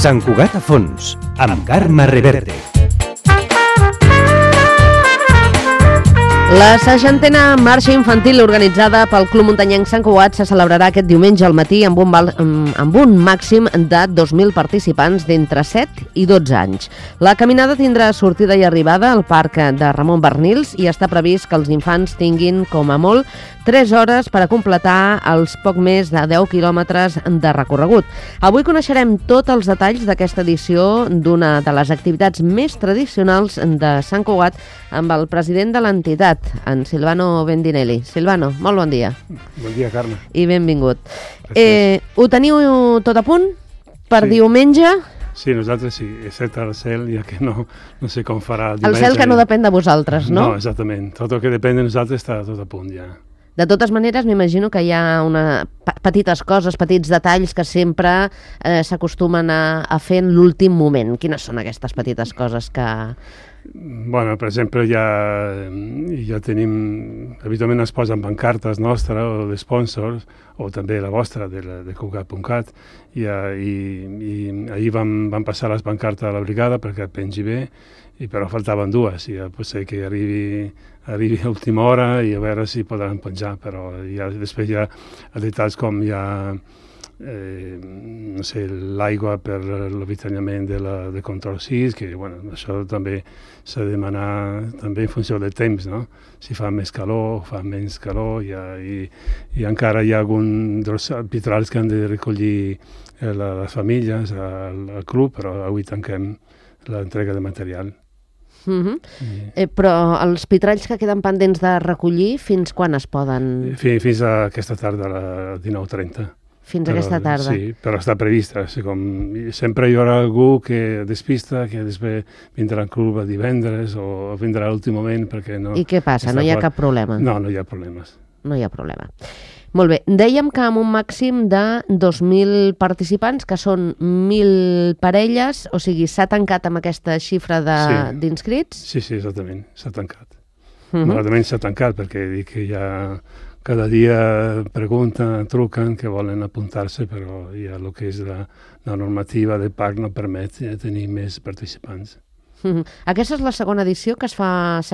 Sant Cugat a fons, amb Carme Reverte. La 60a marxa infantil organitzada pel Club Muntanyenc Sant Cugat se celebrarà aquest diumenge al matí amb un màxim de 2.000 participants d'entre 7 i 12 anys. La caminada tindrà sortida i arribada al parc de Ramon Barnils i està previst que els infants tinguin, com a molt, 3 hores per a completar els poc més de 10 quilòmetres de recorregut. Avui coneixerem tots els detalls d'aquesta edició d'una de les activitats més tradicionals de Sant Cugat amb el president de l'entitat, en Silvano Bendinelli. Silvano, molt bon dia. Bon dia, Carme. I benvingut. Ho teniu tot a punt per diumenge? Sí, nosaltres sí, excepte el cel, ja que no sé com farà diumenge. El cel que no depèn de vosaltres, no? No, exactament. Tot el que depèn de nosaltres està tot a punt ja. De totes maneres, m'imagino que hi ha petites coses, petits detalls que sempre s'acostumen a fer en l'últim moment. Quines són aquestes petites coses que... Bueno, per exemple, ja tenim... Habitualment es posen pancartes nostres o de sponsors, o també la vostra, de Cugat.cat, i ahir vam passar les pancartes a la brigada perquè pengi bé, però faltaven dues, i ja pot ser que arribi a última hora i a veure si podran penjar, però després hi ha detalls com hi ha no sé, l'aigua per l'avituallament de control 6, que bueno, això també s'ha de demanar també en funció del temps, no? Si fa més calor o fa menys calor, i encara hi ha alguns dels arbitrals que han de recollir les famílies al club, però avui tanquem l'entrega de material. Però els pitralls que queden pendents de recollir, fins quan es poden...? Fins a aquesta tarda, a les 19:30. Fins aquesta tarda. Sí, però està prevista. Sempre hi haurà algú que despista, que després vindrà al club a divendres o vindrà a l'últim moment perquè no... I què passa? No hi ha cap problema? No, no hi ha problemes. No hi ha problema. Molt bé. Dèiem que amb un màxim de 2.000 participants, que són 1.000 parelles, o sigui, s'ha tancat amb aquesta xifra d'inscrits? Sí, exactament, s'ha tancat. Malauradament s'ha tancat perquè dic que ja cada dia pregunten, truquen que volen apuntar-se, però ja el que és la normativa del parc no permet tenir més participants. Aquesta és la segona edició que es fa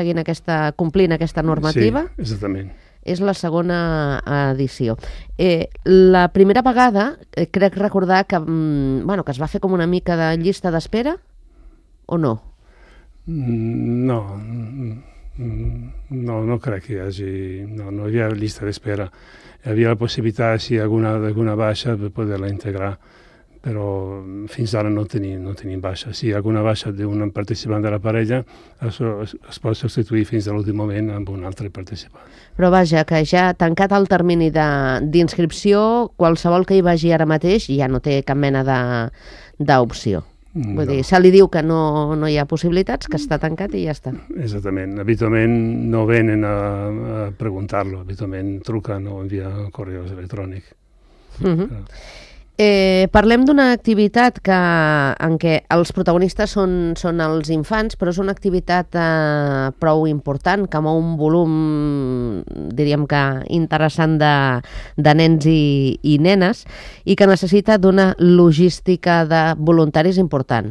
complint aquesta normativa? Sí, exactament. És la segona edició. La primera vegada, crec recordar que es va fer com una mica de llista d'espera, o no? No crec que hi hagi... No hi ha llista d'espera. Hi havia la possibilitat, si hi ha alguna baixa, de poder-la integrar, però fins ara no tenim baixa. Si hi ha alguna baixa d'un participant de la parella, es pot substituir fins a l'últim moment amb un altre participant. Però vaja, que ja tancat el termini d'inscripció, qualsevol que hi vagi ara mateix ja no té cap mena d'opció. Vull dir, se li diu que no hi ha possibilitats, que està tancat i ja està. Exactament. Habitualment no venen a preguntar-lo, habitualment truquen o envien correus electrònics. Parlem d'una activitat en què els protagonistes són els infants, però és una activitat prou important, que mou un volum, diríem que interessant, de nens i nenes, i que necessita d'una logística de voluntaris important.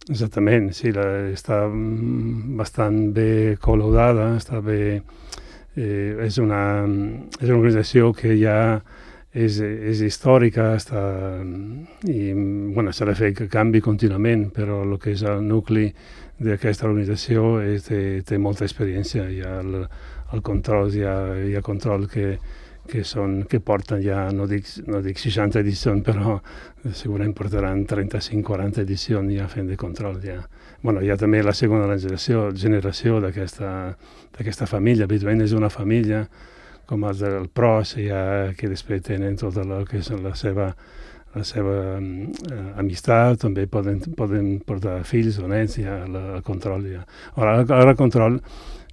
Exactament, sí, està bastant bé col·laudada, està bé... És una organització que ja és històrica, i s'ha de fer que canvi contínuament, però el que és el nucli d'aquesta organització té molta experiència. Hi ha el control, hi ha control que porten ja, no dic 60 edicions, però segurament portaran 35-40 edicions ja fent de control. Hi ha també la segona generació d'aquesta família. Habitualment és una família com els del PROS, que després tenen tot el que és la seva amistat, també poden portar fills o nets, el control. Ara el control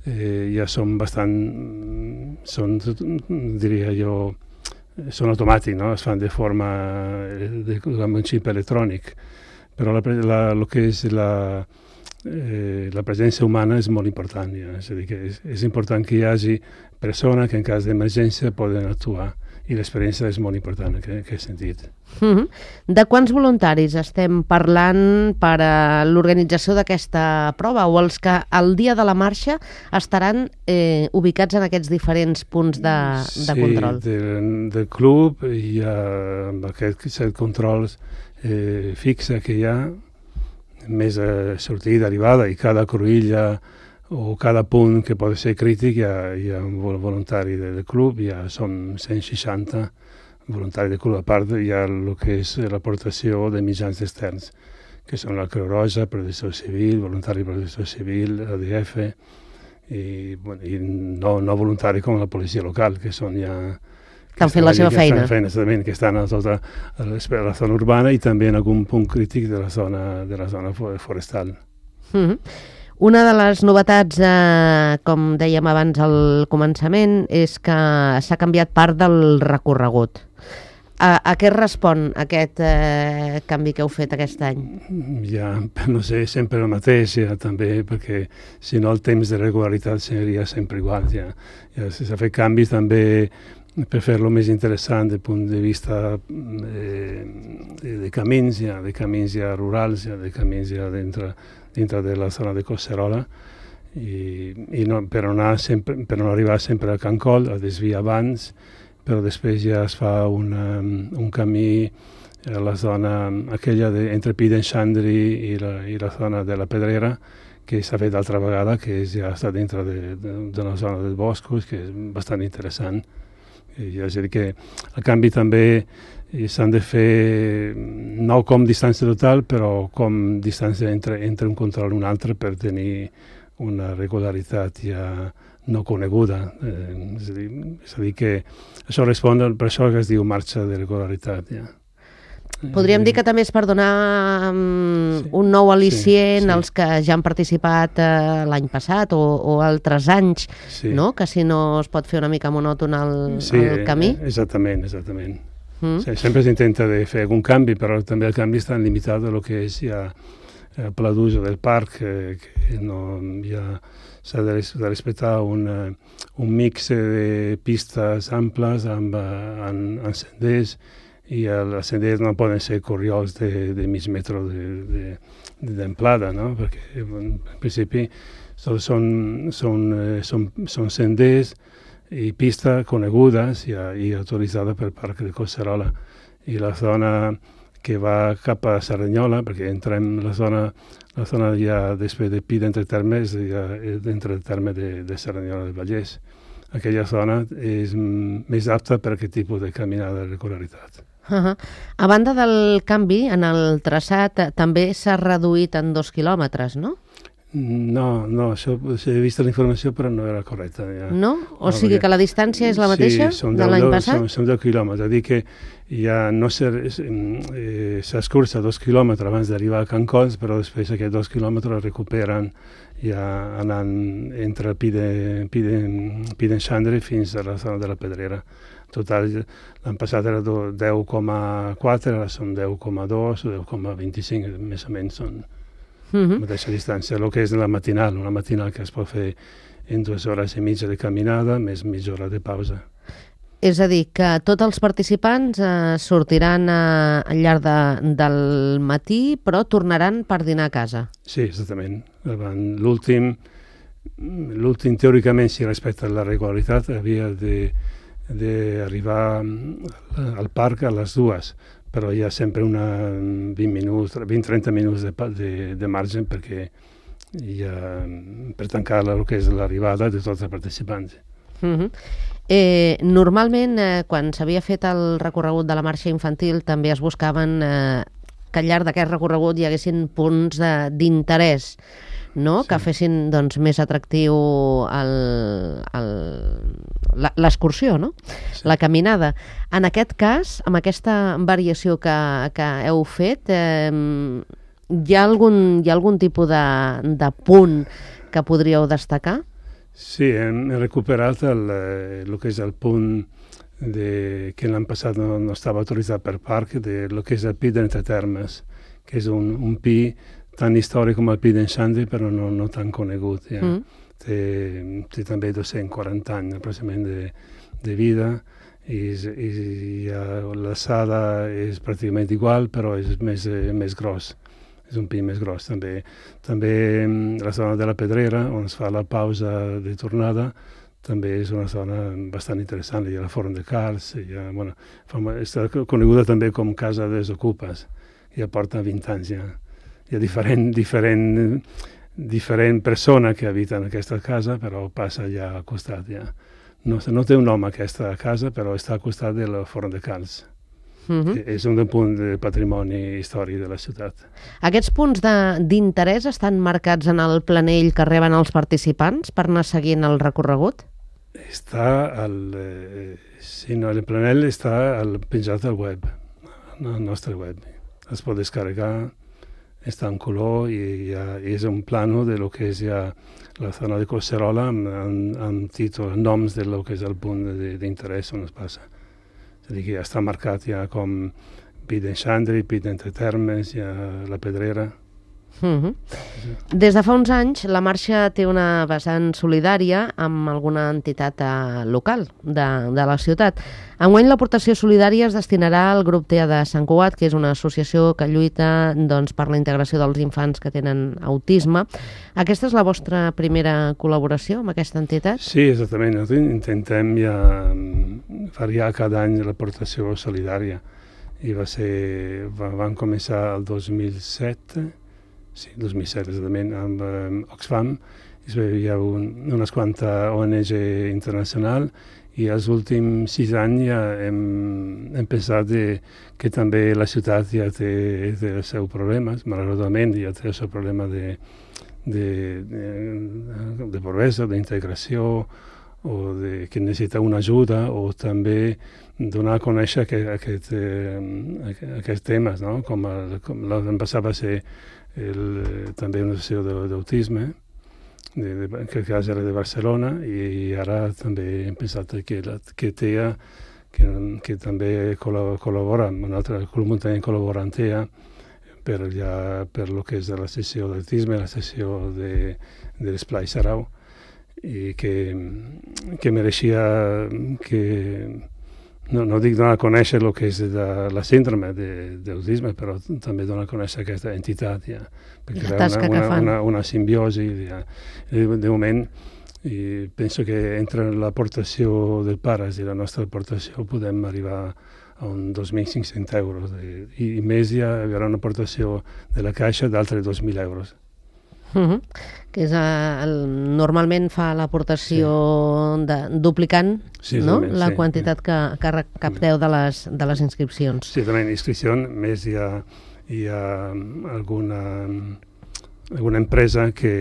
ja són bastant, diria jo, són automàtics, no? Es fan de forma amb un xip electrònic, però el que és la presència humana és molt important. És a dir, que és important que hi hagi persones que en cas d'emergència poden actuar i l'experiència és molt important en aquest sentit. De quants voluntaris estem parlant per a l'organització d'aquesta prova, o els que el dia de la marxa estaran ubicats en aquests diferents punts de control? Sí, del club hi ha aquests 7 controls fixa que hi ha, més sortida, arribada, i cada cruïlla o cada punt que pot ser crític hi ha un voluntari del club, són 160 voluntaris del club. A part hi ha el que és l'aportació de mitjans externs, que són la Creu Roja, Protecció Civil, voluntari de Protecció Civil, ADF, i no voluntari com la policia local, que són ja... Que han fet la seva feina. Que estan a tota la zona urbana i també en algun punt crític de la zona forestal. Una de les novetats, com dèiem abans al començament, és que s'ha canviat part del recorregut. A què respon aquest canvi que heu fet aquest any? Ja, no sé, sempre el mateix, ja, també, perquè si no el temps de regularitat seria sempre igual. Ja s'ha fet canvis també per fer-lo més interessant des del punt de vista de camins ja rurals, de camins ja dintre de la zona de Collserola, i no, per no arribar sempre a Can Coll, a desviar abans, però després ja es fa un camí a la zona aquella entre Pidenxandri i la zona de la Pedrera, que s'ha fet d'altra vegada, que ja està dintre de la zona dels boscos, que és bastant interessant. És a dir, que el canvi també s'han de fer no com distància total, però com distància entre un control i un altre, per tenir una regularitat ja no coneguda. És a dir, que això respon per això que es diu marxa de regularitat. Ja. Podríem dir que també és per donar un nou al·licient als que ja han participat l'any passat o altres anys, no? Que si no es pot fer una mica monòton el camí. Exactament. Sempre s'intenta de fer algun canvi, però també el canvi està limitat a lo que és ja el pla d'ús del parc, que no s'ha de respectar un mix de pistes amples amb senders, i els senders no poden ser corriols de mig metre d'amplada, no? Perquè en principi són senders i pistes conegudes i autoritzades pel Parc de Collserola. I la zona que va cap a Cerdanyola, perquè entrem la zona ja després de Pi d'entre termes, ja dintre del terme de Cerdanyola del Vallès. Aquella zona és més apta per aquest tipus de caminada de regularitat. A banda del canvi en el traçat, també s'ha reduït en 2 quilòmetres, no? No, això he vist la informació, però no era correcta. Ja. No? O sigui que la distància és la mateixa de l'any passat? Són 10 quilòmetres, és a dir que ja no s'escurça 2 quilòmetres abans d'arribar a Can Coll, però després aquests 2 quilòmetres recuperen ja anant entre Pidenxandri fins a la zona de la Pedrera. Total, l'any passat era 10,4, ara són 10,2 o 10,25, més o menys són la mateixa distància. El que és una matinal que es pot fer en 2 hores i mitja de caminada, més mitja hora de pausa. És a dir, que tots els participants sortiran al llarg del matí, però tornaran per dinar a casa. Sí, exactament. L'últim, teòricament, si respecta la regularitat, havia d'arribar al parc a les 2, però hi ha sempre 20-30 minuts de marge per tancar el que és l'arribada de tots els participants. Normalment, quan s'havia fet el recorregut de la marxa infantil, també es buscaven que al llarg d'aquest recorregut hi haguessin punts d'interès, no? Que fessin més atractiu l'excursió, no? La caminada. En aquest cas, amb aquesta variació que heu fet, hi ha algun tipus de punt que podríeu destacar? Sí, hem recuperat el que és el punt que l'any passat no estava autoritzat per parc, el que és el Pi d'entre termes, que és un pi tan històric com el Pi d'Enxandri, però no tan conegut. Ja. Té també 240 anys aproximadament de vida, i la sala és pràcticament igual, però és més gros. És un pic més gros, també. També la zona de la Pedrera, on es fa la pausa de tornada, també és una zona bastant interessant. Hi ha la Forn de Cars, està coneguda també com Casa dels Ocupes. Ja porta 20 anys ja. Hi ha diferent persona que habita en aquesta casa, però passa ja al costat ja. No té un nom aquesta casa, però està al costat de la Forn de Cars. És un punt de patrimoni històric de la ciutat. Aquests punts d'interès estan marcats en el planell que reben els participants per anar seguint el recorregut? El planell està penjat al web, al nostre web. Es pot descarregar, està en color i és un plano de lo que és ja la zona de Collserola amb títol, noms de lo que és el punt d'interès on es passa. És a dir, que ja està marcat ja com Pit d'en Xandri, Pit d'Entre Termes, ja la Pedrera. Des de fa uns anys, la marxa té una vessant solidària amb alguna entitat local de la ciutat. Enguany l'aportació solidària es destinarà al grup TEA de Sant Cugat, que és una associació que lluita per la integració dels infants que tenen autisme. Aquesta és la vostra primera col·laboració amb aquesta entitat? Sí, exactament. Nosaltres intentem ja variar cada any l'aportació solidària. I van començar el 2007, sí, 2007 exactament, amb Oxfam. Hi ha unes quantes ONG internacional i els últims 6 anys ja hem pensat que també la ciutat ja té els seus problemes, malauradament ja té el seu problema de pobresa, d'integració, o que necessita una ajuda, o també donar a conèixer aquests temes, no? Com l'any passat va ser també una sessió d'autisme, que era de Barcelona, i ara també hem pensat que TEA, que també col·labora, un altre club muntanyenc col·labora amb TEA per lo que és la sessió d'autisme, la sessió de l'Esplai Sarau, i que mereixia no dic donar a conèixer el que és la síndrome d'autisme, però també donar a conèixer aquesta entitat, ja, perquè hi ha una simbiosi. De moment, i penso que entre l'aportació dels pares i la nostra aportació podem arribar a uns 2.500 euros, i més hi haurà una aportació de la Caixa d'altres 2.000 euros. Que és normalment fa l'aportació duplicant, no? La quantitat que recapteu de les inscripcions. Sí, també inscripció, més hi ha alguna empresa que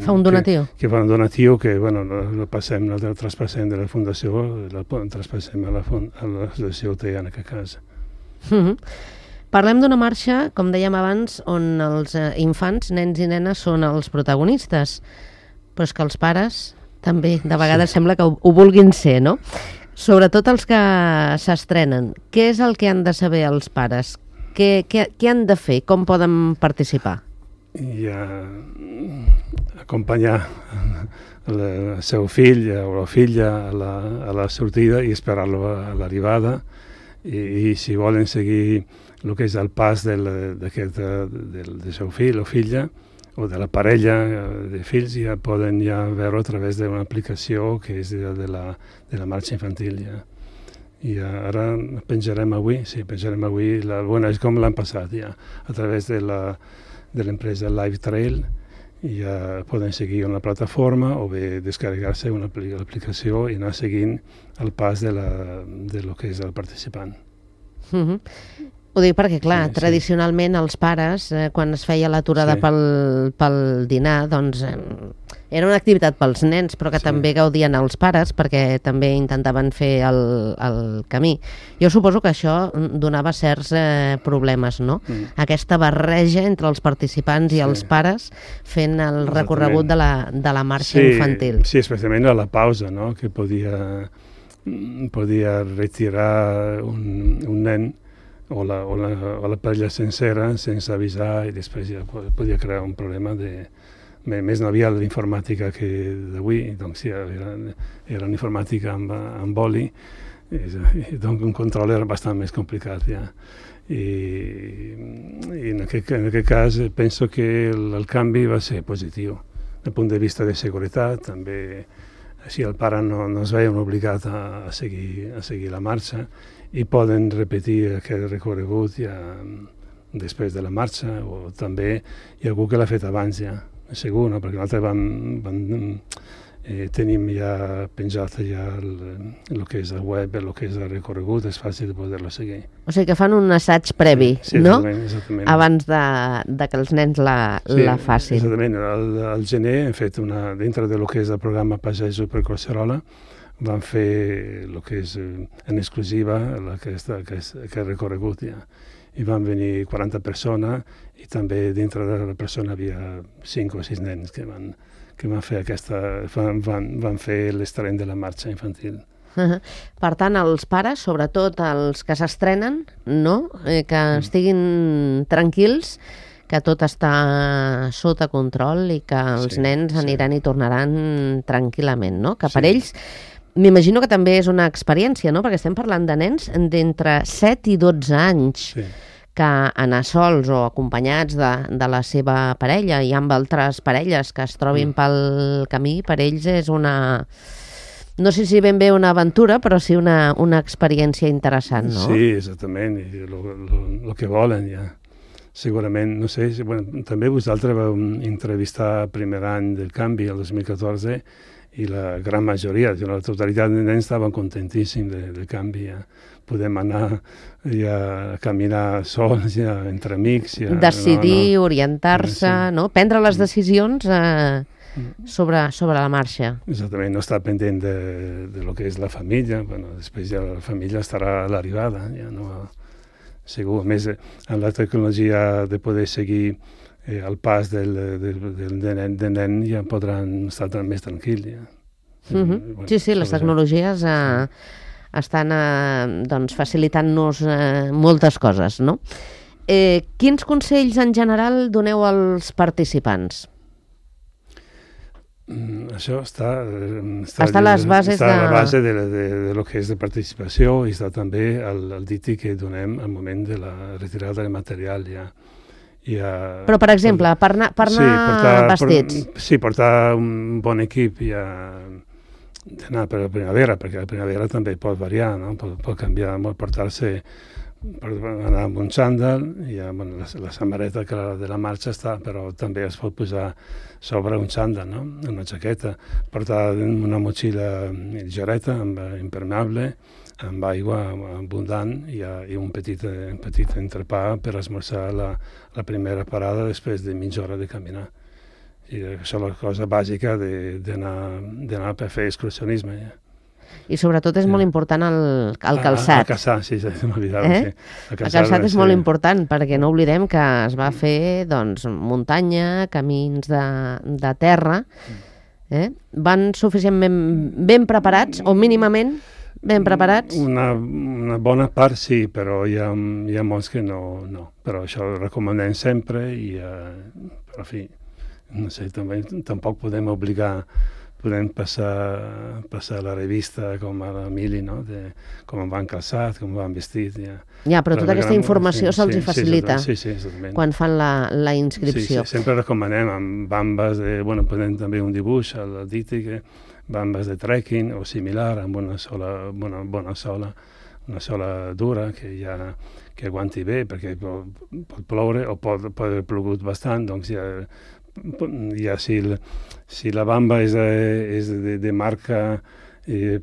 fa un donatiu. Que fa un donatiu que, el traspassem de la fundació, el traspassem a l'associació TEA en aquest cas. Parlem d'una marxa, com dèiem abans, on els infants, nens i nenes, són els protagonistes, però és que els pares també de vegades sembla que ho vulguin ser, no? Sobretot els que s'estrenen. Què és el que han de saber els pares? Què han de fer? Com poden participar? I acompanyar el seu fill o la filla a la sortida i esperar-lo a l'arribada, i si volen seguir el que és el pas del seu fill o filla, o de la parella de fills, ja poden veure a través d'una aplicació que és de la marxa infantil. I ara penjarem avui, és com l'any passat, a través de l'empresa Live Trail, i ja poden seguir una plataforma o bé descarregar-se una aplicació i anar seguint el pas de lo que és el participant. Ho dic perquè, clar, tradicionalment els pares, quan es feia l'aturada pel dinar, doncs era una activitat pels nens, però que també gaudien els pares, perquè també intentaven fer el camí. Jo suposo que això donava certs problemes, no? Aquesta barreja entre els participants i els pares fent el recorregut de la marxa infantil. Sí, especialment a la pausa, no? Que podia retirar un nen o la parella sencera sense avisar, i després ja podia crear un problema més no havia l'informàtica que d'avui, doncs ja era una informàtica amb oli, doncs un control era bastant més complicat, ja. I en aquest cas penso que el canvi va ser positiu. Del punt de vista de seguretat, també així el pare no es veien obligat a seguir la marxa i poden repetir aquest recorregut ja després de la marxa, o també hi ha algú que l'ha fet abans ja, segur, no? Perquè nosaltres tenim ja penjat ja el que és el web, el que és el recorregut, és fàcil de poder-lo seguir. O sigui que fan un assaig previ, sí, no? Exactament. Abans de que els nens la facin. Exactament. Al gener hem fet dintre del que és el programa Passejos per Collserola, vam fer el que és en exclusiva aquest recorregut ja. I van venir 40 persones i també dintre de la persona havia 5 o 6 nens que van fer van fer l'estrenh de la marxa infantil. Per tant, els pares, sobretot els que s'estrenen, no? Que estiguin tranquils, que tot està sota control i que els nens aniran i tornaran tranquil·lament, no? Que per ells, m'imagino que també és una experiència, no? Perquè estem parlant de nens d'entre 7 i 12 anys. Sí. Que anar sols o acompanyats de la seva parella i amb altres parelles que es trobin pel camí, per ells és una... No sé si ben bé una aventura, però sí una experiència interessant, no? Sí, exactament, i el que volen, ja. Segurament, no sé, també vosaltres vau entrevistar el primer any del canvi, el 2014, i la gran majoria, la totalitat de nens estaven contentíssims del canvi, ja. Podem anar a caminar sols, ja, entre amics. Ja, decidir, orientar-se, no? Prendre les decisions sobre la marxa. Exactament, no estar pendent de lo que és la família. Després ja la família estarà a l'arribada, ja no... Segur, a més, amb la tecnologia de poder seguir el pas del nen ja podran estar més tranquils. Ja. Sí, les tecnologies estan facilitant-nos moltes coses, no? Quins consells en general doneu als participants? Això està a les bases a la base de lo que és de participació i està també el diti que donem al moment de la retirada de material ja. Però, per exemple, per anar vestits. Sí, portar un bon equip ja d'anar per la primavera, perquè la primavera també pot variar, no? Pot canviar molt, portar-se per anar amb un xandall, la samarreta de la marxa està, però també es pot posar sobre un xandall, no? Una jaqueta, portar una motxilla lligereta, impermeable, amb aigua abundant i un petit entrepà per esmorzar la primera parada després de mitja hora de caminar. I això és la cosa bàsica d'anar per fer excursionisme. Ja. I sobretot és molt important el calçat. El calçat, sí, m'oblidava. Sí. El calçat és molt important perquè no oblidem que es va fer muntanya, camins de terra. Van suficientment ben preparats o mínimament ben preparats? Una bona part sí, però hi ha molts que no. Però això ho recomanem sempre i, però, en fi, no sé, tampoc podem obligar, podem passar la revista com a l'Emili, no? De com van calçat, com van vestit. Ja, però tota aquesta informació se'ls facilita quan fan la inscripció. Sí, sempre recomanem amb bambes, podem també un dibuix al diti, bambes de trekking o similar, amb una sola dura que aguanti bé, perquè pot ploure o pot haver plogut bastant, doncs ja si la bamba és de marca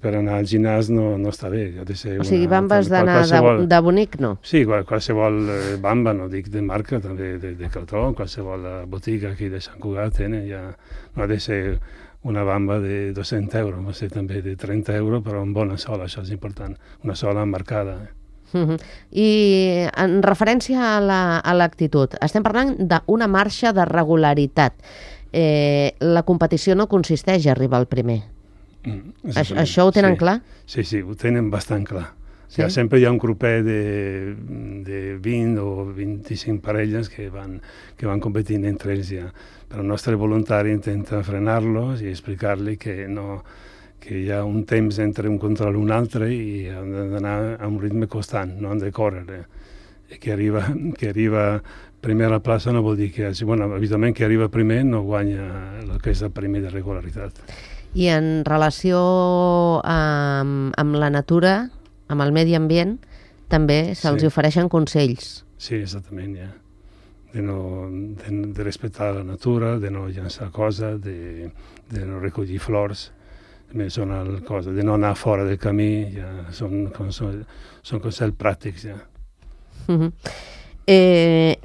per anar al gimnàs no està bé. O sigui, bambes d'anar de bonic, no? Sí, qualsevol bamba, no dic de marca, també de cartó, qualsevol botiga aquí de Sant Cugat no ha de ser una bamba de 200 euros, no sé, també de 30 euros, però amb bona sola, això és important, una sola marcada. I en referència a l'actitud, estem parlant d'una marxa de regularitat. La competició no consisteix a arribar al primer. Això ho tenen clar? Sí, ho tenen bastant clar. Sempre hi ha un grupet de 20 o 25 parelles que van competint entre ells ja. Però el nostre voluntari intenta frenar-los i explicar-li que que hi ha un temps entre un control i un altre i han d'anar a un ritme constant, no han de córrer. I que arriba primer a la plaça no vol dir que habitualment que arriba primer no guanya el que és el premi de regularitat. I en relació amb la natura, amb el medi ambient, també se'ls ofereixen consells. Sí, exactament, ja. De respectar la natura, de no llançar coses, de no recollir flors, són coses, de no anar fora del camí, ja són consells pràctics, ja.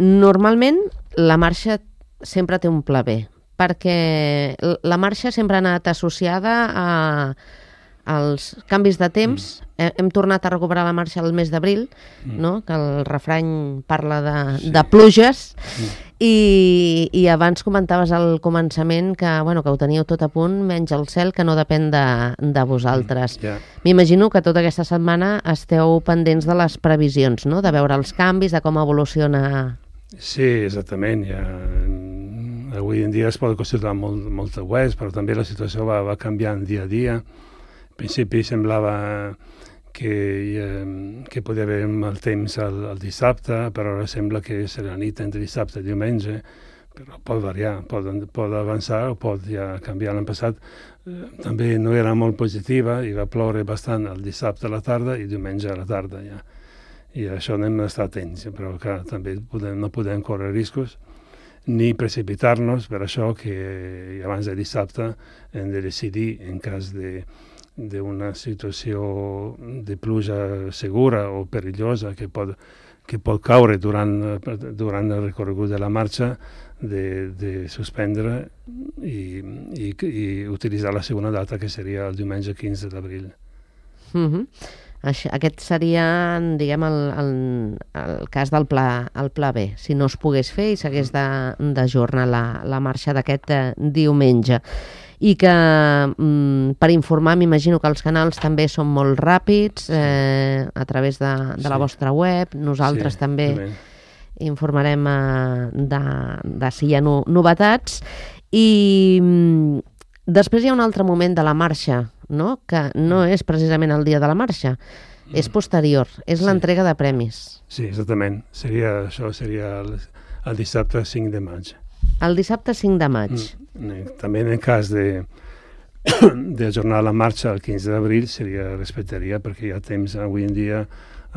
Normalment la marxa sempre té un pla B, perquè la marxa sempre ha anat associada als canvis de temps. Hem tornat a recuperar la marxa el mes d'abril, no? Que el refrany parla de pluges, i abans comentaves al començament que ho teníeu tot a punt, menys el cel, que no depèn de vosaltres. M'imagino que tota aquesta setmana esteu pendents de les previsions, no? De veure els canvis, de com evoluciona. Sí, exactament. Avui en dia es pot consultar moltes webs, però també la situació va canviant dia a dia. Al principi semblava que podia haver mal temps el dissabte, però ara sembla que serà la nit entre dissabte i diumenge, però pot variar, pot avançar o pot ja canviar. L'any passat també no era molt positiva i va ploure bastant el dissabte a la tarda i diumenge a la tarda. Ja. I això hem d'estar atents, però clar, també no podem córrer riscos ni precipitar-nos, per això que abans de dissabte hem de decidir en cas d'una situació de pluja segura o perillosa que pot caure durant el recorregut de la marxa, de suspendre i utilitzar la segona data, que seria el diumenge 15 d'abril. Aquest seria, diguem, el cas del pla B, si no es pogués fer i s'hagués d'ajornar la marxa d'aquest diumenge. I que, per informar, m'imagino que els canals també són molt ràpids, a través de la vostra web. Nosaltres també informarem de si hi ha novetats. I després hi ha un altre moment de la marxa, no? Que no és precisament el dia de la marxa, és posterior, és l'entrega de premis. Sí, exactament. Això seria el dissabte 5 de maig. El dissabte 5 de maig. També en el cas d'ajornar la marxa el 15 d'abril respectaria, perquè hi ha temps avui en dia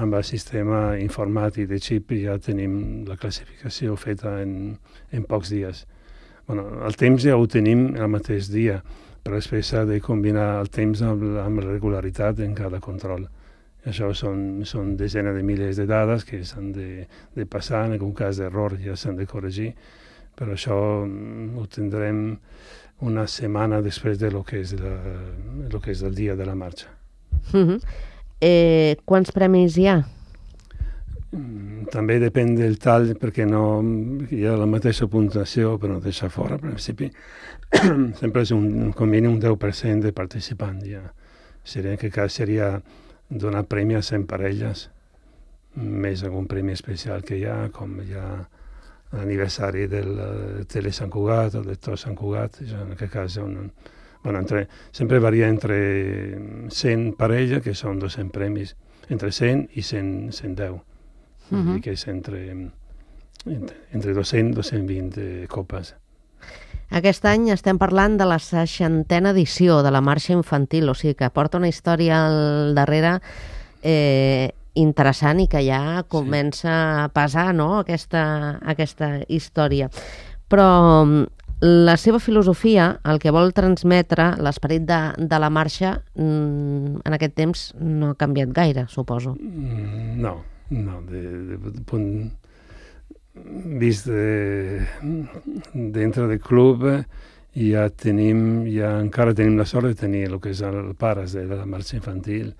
amb el sistema informàtic de xip ja tenim la classificació feta en pocs dies. El temps ja ho tenim el mateix dia, però després s'ha de combinar el temps amb la regularitat en cada control. Això són desenes de milers de dades que s'han de passar, en algun cas d'error ja s'han de corregir, però això ho tindrem una setmana després de lo que és el dia de la marxa. Quants premis hi ha? També depèn del tall, perquè hi ha la mateixa puntuació, però no deixa fora, al principi. Sempre és com mínim un 10% de participants. Ja. En aquest cas seria donar premi a 100 parelles, més algun premi especial que hi ha, com hi ha l'aniversari del Tele Sant Cugat o del Tor Sant Cugat. En aquest cas sempre varia entre 100 parelles, que són 200 premis, entre 100 i 110. I que és entre 200 i 220 copes. Aquest any estem parlant de la 60a edició de la marxa infantil, o sigui que porta una història al darrere interessant i que ja comença a pesar, no?, aquesta història. Però la seva filosofia, el que vol transmetre, l'esperit de la marxa, en aquest temps no ha canviat gaire, suposo. No, vist dintre del club encara tenim la sort de tenir el que és els pares de la marxa infantil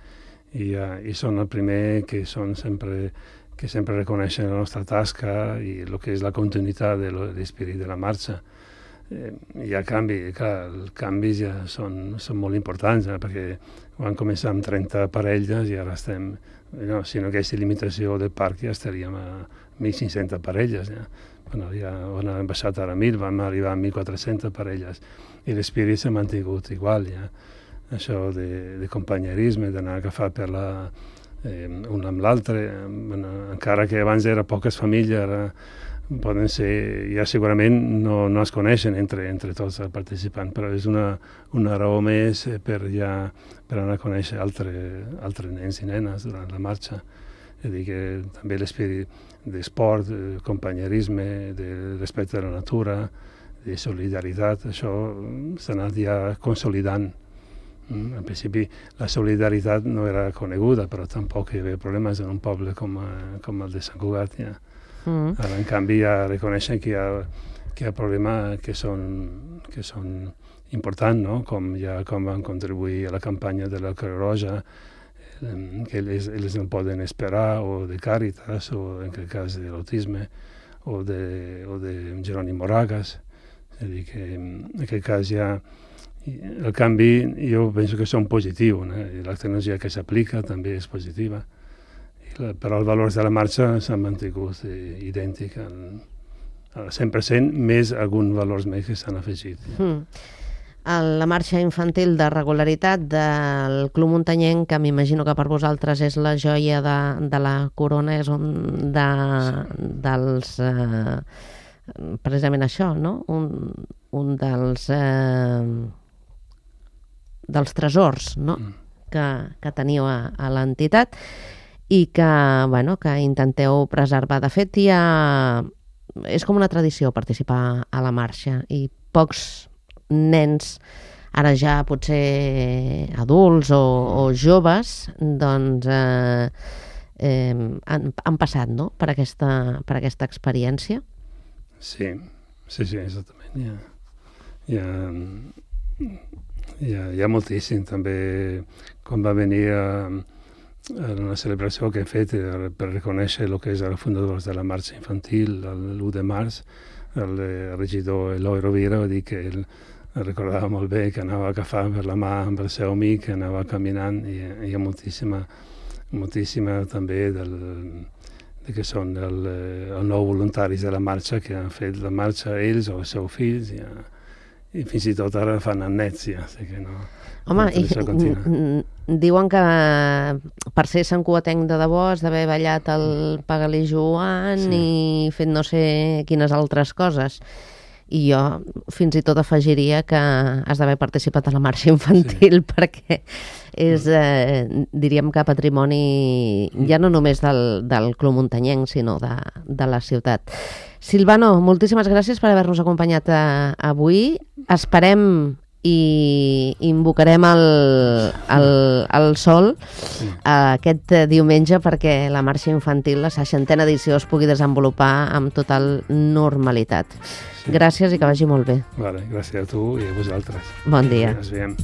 i són el primer que sempre reconeixen la nostra tasca i el que és la continuïtat de l'esperit de la marxa. Hi ha canvis, clar, els canvis ja són molt importants, perquè vam començar amb 30 parelles i ara estem, si no hagués limitació del parc ja estaríem a 1.500 parelles. Ja hem baixat ara a 1.000, vam arribar a 1.400 parelles i l'espírit s'ha mantingut igual. Ja. això de companyerisme, d'anar agafat per un amb l'altre, encara que abans era poques famílies, ara poden ser, ja segurament no es coneixen entre tots els participants, però és una raó més per anar a conèixer altres nens i nenes durant la marxa. És a dir, que també l'esperit d'esport, de companyerisme, de respecte a la natura, de solidaritat, això s'ha anat ja consolidant. En principi la solidaritat no era coneguda, però tampoc hi havia problemes en un poble com el de Sant Cugat. Ja. Ara, en canvi, ja reconeixen que hi ha problemes que són importants, no? Com van contribuir a la campanya de la Creu Roja, que ells no poden esperar, o de Càritas, o en aquest cas de l'autisme, o de Jeroni Moragas. És a dir, que en aquest cas ja el canvi jo penso que són positius, la tecnologia que s'aplica també és positiva, però els valors de la marxa s'han mantingut idèntics al 100%, més alguns valors més que s'han afegit. La marxa infantil de regularitat del Club Muntanyenc, que m'imagino que per vosaltres és la joia de la corona, és un dels... precisament això, no? Un dels tresors, no? que teniu a l'entitat i que intenteu preservar. De fet, és com una tradició participar a la marxa i pocs nens, ara ja potser adults o joves, doncs han passat, no?, per aquesta experiència. Sí, exactament. Hi ha moltíssim. També quan va venir a una celebració que he fet per reconèixer el que és els fundadors de la marxa infantil, l'1 de març, el regidor Eloi Rovira va dir que ell recordava molt bé, que anava agafant per la mà amb el seu amic, que anava caminant, i hi ha moltíssima també que són els nous voluntaris de la marxa, que han fet la marxa ells o els seus fills, i fins i tot ara fan el nets, ja. Home, diuen que per ser santcugatenc de debò has d'haver ballat el Pagalí Joan i fet no sé quines altres coses. I jo fins i tot afegiria que has d'haver participat a la marxa infantil, perquè és, diríem que patrimoni ja no només del Club Muntanyenc, sinó de la ciutat. Silvano, moltíssimes gràcies per haver-nos acompanyat avui. Esperem i invocarem el sol aquest diumenge perquè la marxa infantil, la 60a edició, es pugui desenvolupar amb total normalitat. Gràcies i que vagi molt bé. Gràcies a tu i a vosaltres. Bon dia. Ens veiem.